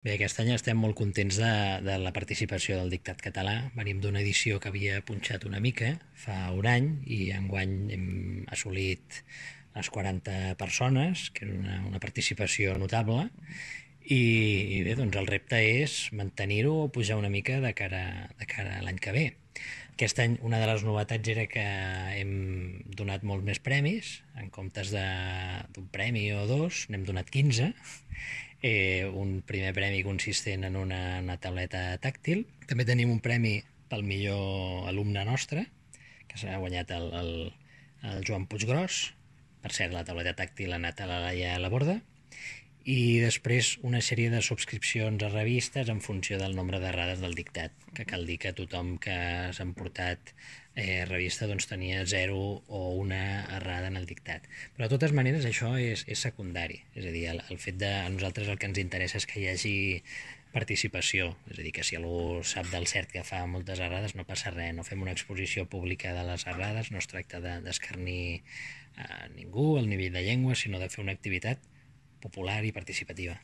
Bé, aquest any estem molt contents de la participació del dictat català. Venim d'una edició que havia punxat una mica fa un any i enguany hem assolit les 40 persones, que és una participació notable. I bé, doncs el repte és mantenir-ho o pujar una mica de cara a l'any que ve. Aquest any una de les novetats era que hem donat molts més premis, en comptes d'un premi o dos, n'hem donat 15. Un primer premi consistent en una tauleta tàctil. També tenim un premi pel millor alumne nostre, que s'ha guanyat el Joan Puiggròs. Per cert, la tauleta tàctil ha anat a la Laia Laborda. I després una sèrie de subscripcions a revistes en funció del nombre d'errades del dictat, que cal dir que tothom que s'ha emportat revista doncs tenia 0 o una errada en el dictat. Però de totes maneres això és secundari, és a dir, el fet de a nosaltres el que ens interessa és que hi hagi participació, és a dir, que si algú sap del cert que fa moltes errades no passa res, no fem una exposició pública de les errades, no es tracta d'escarnir a ningú al nivell de llengua, sinó de fer una activitat popular i participativa.